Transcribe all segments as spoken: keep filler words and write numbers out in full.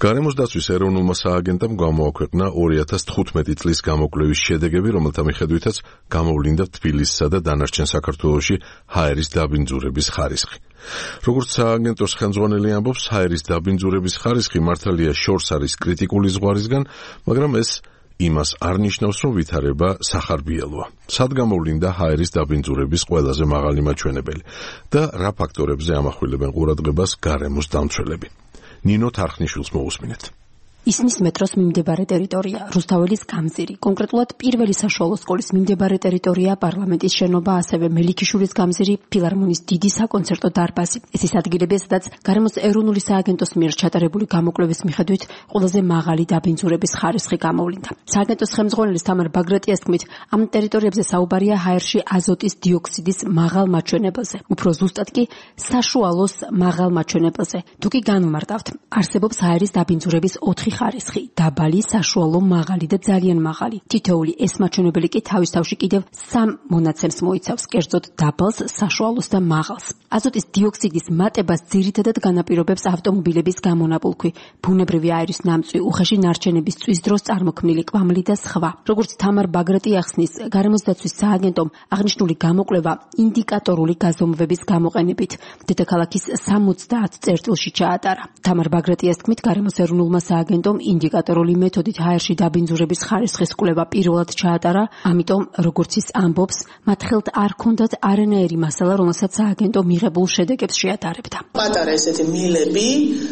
გარემოს დაცვის ეროვნულმა სააგენტომ გამოაქვეყნა ორი ათას თხუთმეტი წლის გამოკვლევის შედეგები, რომელთა მიხედვითაც გამოვლინდა თბილისსა და დანარჩენ საქართველოში ჰაერის დაბინძურების ხარისხი. როგორც სააგენტოს ხელმძღვანელი ამბობს, ჰაერის დაბინძურების ხარისხი მართალია შორს არის კრიტიკული ზღვარისგან, მაგრამ ეს იმას არ ნიშნავს, რომ ვითარება სახარბიელოა. სად გამოვლინდა ჰაერის დაბინძურების ყველაზე მაღალი მაჩვენებელი და რა ფაქტორებზე ამახვილებენ ყურადღებას გარემოს დამცველები. ნინო თარხნიშვილს მოусმინეთ. ისმის მეტროს მიმდებარე ტერიტორია, რუსთაველის გამზირი, კონკრეტულად პირველი საშუალო სკოლის მიმდებარე ტერიტორია, პარლამენტის შენობა, ასევე მელიქიშვილის გამზირი, ფილარმონიის დიდი საკონცერტო დარბაზი. ეს ის ადგილები, სადაც გარემოს ეროვნული სააგენტოს მიერ ჩატარებული გამოკვლევის მიხედვით ყველაზე მაღალი დაბინძურების ხარისხი გამოვლინდა. სააგენტოს ხელმძღვანელის თამარ ბაგრატიას თქმით, ამ ტერიტორიებზე საუბარია ჰაერში აზოტის დიოქსიდის მაღალ მაჩვენებელზე, უფრო ზუსტად კი საშუალოს მაღალ მაჩვენებელზე. თუ კი განვმარტავთ, არსებობს ჰაერის დაბინძურების ოთხი ხარისხი, დაბალი, საშუალო, მაღალი და ძალიან მაღალი. თითოეული ეს მაჩვენებელი კი თავის თავში კიდევ სამ მონაცემს მოიცავს, კერძოდ დაბალს, საშუალოს და მაღალს. აზოტის დიოქსიდის მატებას ძირითადად განაპირობებს ავტომობილების გამონაბოლქვი, ბუნებრივი აირის ნამწვი, უხეში ნარჩენების წვის დროს წარმოქმნილი კვამლი და სხვა. როგორც თამარ ბაგრატი ახსნის, გარემოს დაცვის სააგენტომ აღნიშნული გამოკვლევა ინდიკატორული გაზომვების გამოყენებით დედაქალაქის სამოცდაათ წერტილში ჩაატარა. თამარ ბაგრატიას თქმით, გარემოს ეროვნულმა სააგენტომ ინდიკატორული მეთოდით ჰაერში დაბინძურების ხარისხის კვლევა პირველად ჩაატარა, ამიტომ, როგორც ის ამბობს, მათ ხელთ არ ქონდათ არანაირი მასალა, რომელსაც სააგენტო მიღებულ შედეგებს შეატარებდა. პატარა ესეთი მილები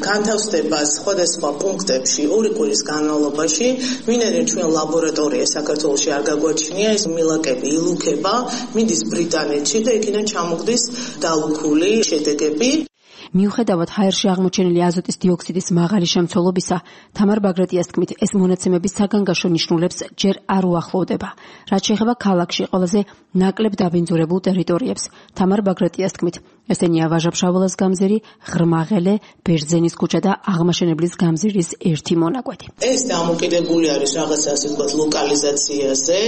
განთავსდება სხვადასხვა პუნქტებში ორი კვირის განმავლობაში, ვინაიდან ჩვენ ლაბორატორია საქართველოში არ გაგვაჩნია, ეს მილაკები ილუქება, მიდის ბრიტანეთში და იქიდან ჩამოგდის დალუქული შედეგები. მიუხედავად ჰაერში აღმოჩენილი აზოტის დიოქსიდის მაღალი შემცველობისა, თამარ ბაგრატიას თქმით, ეს მონაცემები საგანგაშო ნიშნულებს ჯერ არ უახლოვდება. რაც შეეხება ქალაქში ყველაზე ნაკლებ დაბინძურებულ ტერიტორიებს, თამარ ბაგრატიას თქმით, ესენია ვაჟა-ფშაველას გამზირი, ღრმაღელე, ბერძენის ქუჩა და აღმაშენებლის გამზირის ერთი მონაკვეთი. ეს დამოკიდებული არის რაღაცა ასე ვთქვათ ლოკალიზაციაზე,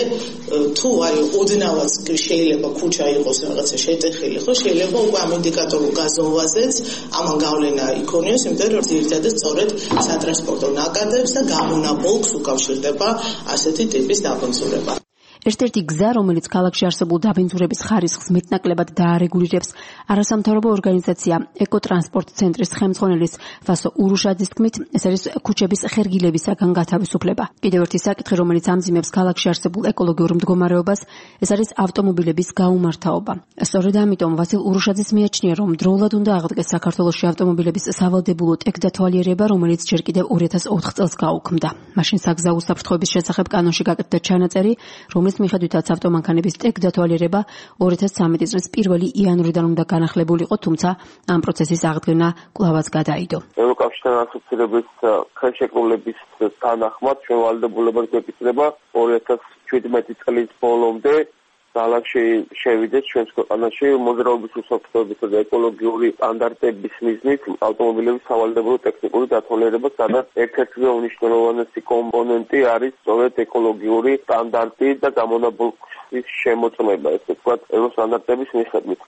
თუ არის ოდნავაც შეიძლება ქუჩა იყოს რაღაცა შეტეხილი, ხო შეიძლება უკვე ამ ინდიკატორულ გაზომვაზეც ამან გავლენა იქონიოს, იმიტომ რომ ძირითადად სწორედ სატრანსპორტო ნაკადებს და გამონაბოლქვს უკავშირდება ასეთი ტიპის დაბინძურება. ერთ-ერთი გზა, რომელიც ქალაქში არსებულ დაბინძურების ხარისხს მეტნაკლებად დაარეგულირებს, არასამთავრობო ორგანიზაცია ეკოტრანსპორტ ცენტრის ხელმძღვანელის ვასო ურუშაძის თქმით, ეს არის ქუჩების ხერგილებისაგან გათავისუფლება. კიდევ ერთი საკითხი, რომელიც ამძიმებს ქალაქში არსებულ ეკოლოგიურ მდგომარეობას, ეს არის ავტომობილების გაუმართავობა. სწორედ ამიტომ ვასილ ურუშაძის მიაჩნია, რომ დროულად უნდა აღდგეს საქართველოში ავტომობილების სავალდებულო ტექდათვალიერება, რომელიც ჯერ კიდევ ორი ათას ოთხ წელს გაუქმდა. მაშინ საგზაო უსაფრთხოების შესახებ კანონში გაკეთდა ჩანაწერი, რომელიც მიხედვითაც ავტომანქანების ტექდათვალიერება ორი ათას ცხრამეტი წლის პირველი იანვრიდან უნდა განახლებულიყო, თუმცა ამ პროცესის აღდგენა კვლავაც გადაიდო. ევროკავშირთან ასოცირების ხელშეკრულების თანახმად ჩვენ ვალდებულებად გვეკითხება ორი ათას შვიდმეტი წლის ბოლომდე ძალაში შევიდეს ჩვენს ქვეყანაში მოძრაობის უსაფრთხოებისა და ეკოლოგიური სტანდარტების მიზნით ავტომობილების სავალდებულო ტექნიკური დათვალიერება, სადაც ერთ-ერთი უმნიშვნელოვანესი კომპონენტი არის სწორედ ეკოლოგიური სტანდარტი და გამონაბოლქვის შემოწმება, ესე ვთქვათ, ევროსტანდარტების მიხედვით.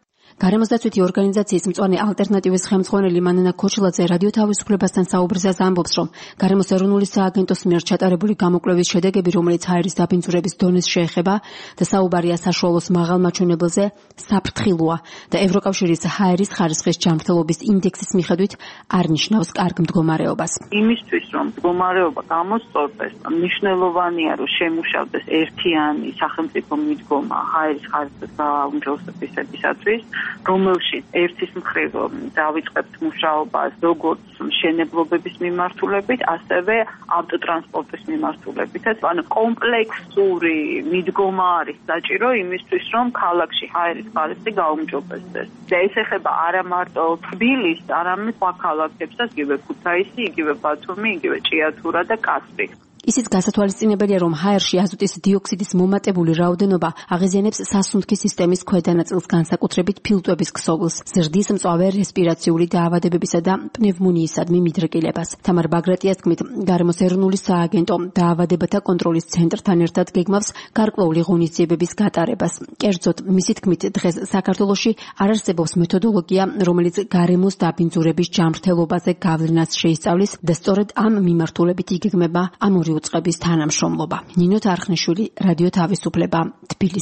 გარემოს დაცვითი ორგანიზაციის მწვანე ალტერნატივის ხელმძღვანელი მანანა ქოჩილაძე რადიო თავისუფლებასთან საუბრისას ამბობს, რომ გარემოს ეროვნული სააგენტოს მიერ ჩატარებული გამოკვლევის შედეგები, რომელიც ჰაერის დაბინძურების დონეს შეეხება და საუბარია საშუალოს მაღალ მაჩვენებელზე, საფრთხილოა და ევროკავშირის ჰაერის ხარისხის ჯანმრთელობის ინდექსის მიხედვით არ ნიშნავს კარგ მდგომარეობას. იმისთვის, რომ მდგომარეობა გამოსწორდეს, მნიშვნელოვანია, რომ შემუშავდეს ერთიანი სახელმწიფო მიდგომა ჰაერის ხარისხის გააუმჯობესებისათვის, რომელშიც ერთის მხრივ დავიწყებთ მუშაობას როგორც მშენებლობების მიმართულებით, ასევე ავტოტრანსპორტის მიმართულებითაც. ანუ კომპლექსური მიდგომა არის საჭირო იმისთვის, რომ ქალაქში ჰაერის ხარისხი გაუმჯობესდეს. და ეს ეხება არა მარტო თბილისს, არამედ სხვა ქალაქებსაც, იგივე ქუთაისი, იგივე ბათუმი, იგივე ჭიათურა და კასპი. ისიც გასათვალისწინებელია, რომ ჰაერში აზოტის დიოქსიდის მომატებული რაოდენობა აღიზიანებს სასუნთქი სისტემის ქვედა ნაწილს, განსაკუთრებით ფილტვების ქსოვილს, ზრდის მწვავე რესპირაციული დაავადებებისა და პნევმონიისადმი მიდრეკილებას. თამარ ბაგრატიას თქმით, გარემოს ეროვნული სააგენტო დაავადებათა კონტროლის ცენტრთან ერთად გეგმავს გარკვეული ღონისძიებების გატარებას. კერძოდ, მისი თქმით, დღეს საქართველოში არ არსებობს მეთოდოლოგია, რომელიც გარემოს დაბინძურების ჯანმრთელობაზე გავლენას შეისწავლის და სწორედ ამ მიმართულებით იგეგმება ამ ორი უწყების თანამშრომლობა. ნინო თარხნიშვილი, რადიო თავისუფლება, თბილისი.